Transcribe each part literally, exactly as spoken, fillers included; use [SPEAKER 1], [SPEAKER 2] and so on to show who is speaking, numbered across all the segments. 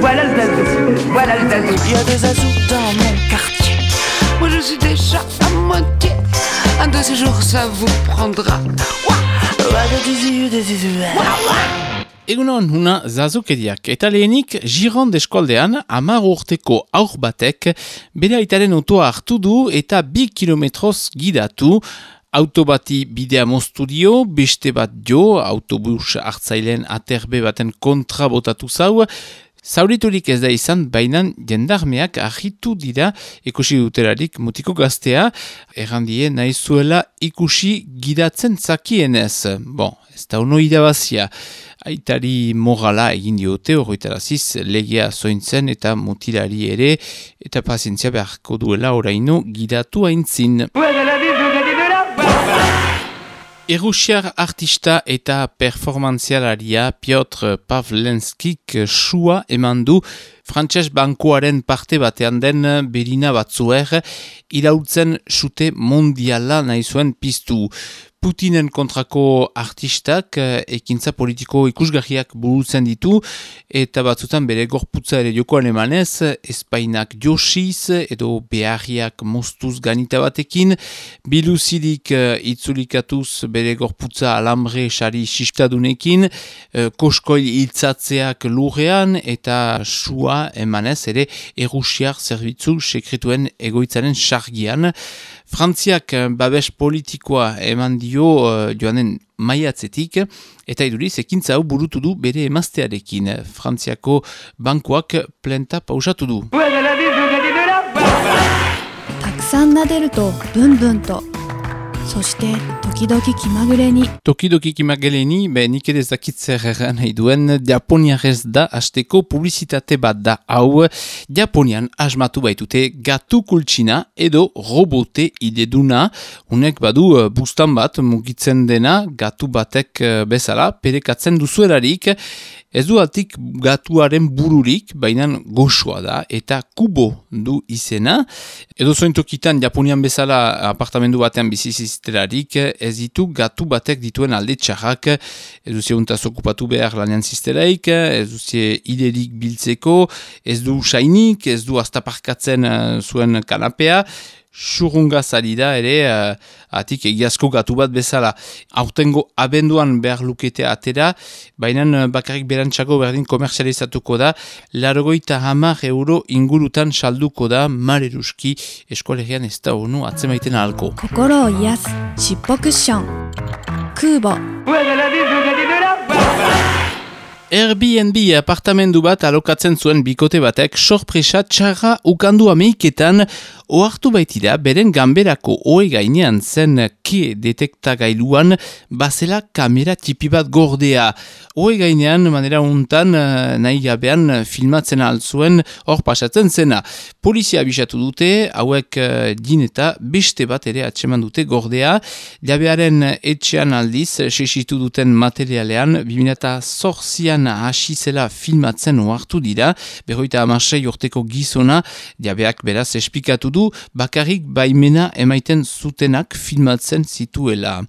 [SPEAKER 1] Voilà le zazou, voilà le zazou.
[SPEAKER 2] Il y a des zazous dans mon quartier. Moi je suis déjà à moitié. Un de ces jours ça vous prendra.
[SPEAKER 3] Egunon, huna zazukeriak. Eta lehenik, Gironde eskoldean, hamar urteko aur batek, bere aitaren autoa hartu du eta bi kilometroz gidatu. Auto bati bidea moztu dio, beste bat jo, autobus hartzaileen aterbe baten kontra botatu zau. Zauriturik ez da izan, bainan jendarmeak ahitu dira ikusi duterarik mutiko gaztea, errandie nahi zuela ikusi gidatzen zakienez. Bon, ez da ono irabazia. Aitari morala egin diote, horretaraziz legea zointzen eta mutilari ere, eta pazientzia beharko duela oraino gidatu aintzin. Errusiar artista eta performantzialaria Piotr Pavlenskik sua eman du frantses bankuaren parte batean den berina batzuer iraultzen sute mondiala nahi zuen piztu. Putinen kontrako artistak ekintza politiko ikusgarriak burutzen ditu eta batzutan bere gorputza ere jokoan emanez, espainak josiz edo beharriak moztuz ganita batekin, biluzidik itzulikatuz bere gorputza alambre sari sistadunekin, koskoil hiltzatzeak lurrean eta sua emanez ere errusiar zerbitzu sekretuen egoitzaren sargian. Frantziak babes politikoa eman dio uh, joanen maiatzetik, eta iduriz ekintza hau burutu du bere emaztearekin. Frantziako bankuak plenta pausatu du.
[SPEAKER 4] たくさん撫でるとブンブンと、そして時々気まぐれに。
[SPEAKER 3] Tokidoki kimageleni, be nik ere ez dakit zer erran nahi duen, Japoniarez da hasteko publizitate bat da hau. Japonian asmatu baitute gatu kultsina edo robote ideduna. Unek badu bustan bat mugitzen dena gatu batek bezala perekatzen duzuelarik. Ez du altik gatuaren bururik, baina goxoa da, eta kubo du izena. Edo zointokitan Japonian bezala apartamendu batean bizizizterarik, ez ditu gatu batek dituen alde txarrak, ez duzie untaz okupatu behar lanean zizteraik, ez duzie iderik biltzeko, ez du sainik, ez du astaparkatzen uh, zuen kanapea, surunga salida ere uh, atik egiazko gatu bat bezala. Aurtengo abenduan behar luketea atera, baina bakarrik berantxako berdin komerzializatuko da, largoita hamar euro ingurutan salduko da mareruski eskolegian ez da honu atzemaiten ahalko.
[SPEAKER 4] 心を癒すしっぽクッション空母
[SPEAKER 3] Airbnb apartamendu bat alokatzen zuen bikote batek sorpresa txarra ukandu ameiketan ohartu baitira beren ganberako ohe gainean zen ke detektagailuan bazela kamera tipi bat gordea. Ohe gainean manera untan nahi gabean filmatzen altzuen hor pasatzen zena. Polizia abisatu dute, hauek din eta beste bat ere atseman dute gordea. Jabearen etxean aldiz sesitu duten materialean bi mila zortzian hasi zela filmatzen ohartu dira, berroita hamasei urteko gizona, jabeak beraz esplikatu du, bakarrik baimena emaiten zutenak filmatzen zituela.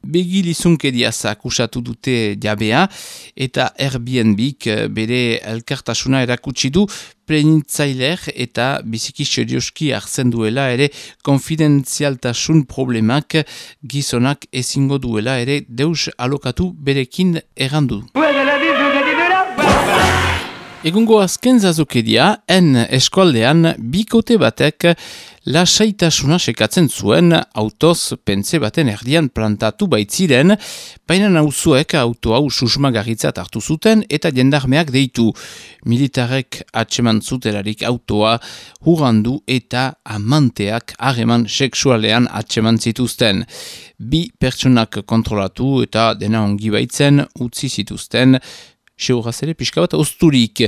[SPEAKER 3] Begilizunkeria akusatu dute jabea, eta Airbnbik bere elkartasuna erakutsi du plenitzailer eta biziki serioski hartzen duela ere konfidentzialtasun problemak gizonak ezingo duela ere deus alokatu berekin errandu. Egungo azken zazukeria, en eskoldean bikote batek lasaitasuna sekatzen zuen autoz pentze baten erdian plantatu baitziren, baina nauzuek auto hau susmagarritzat hartu zuten eta jendarmeak deitu. Militarek atseman zutelarik autoa hurrandu eta amanteak harreman sexualean atseman zituzten. Bi pertsonak kontrolatu eta dena ongi baitzen utzi zituzten, seuraz ere pixka bat osturik.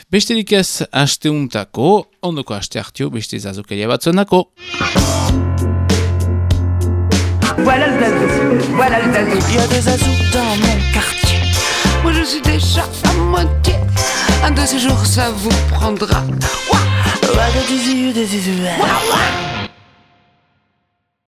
[SPEAKER 3] Besterik ez asteuntako, ondoko aste hartio beste zazukeria batzuenako.
[SPEAKER 1] Voilà le zazou, voilà le zazou.
[SPEAKER 2] Il y a des zazous dans mon quartier. Moi je suis déjà à moitié. Un de ces jours ça vous prendra. Ouah, ouah, ouah, ouah.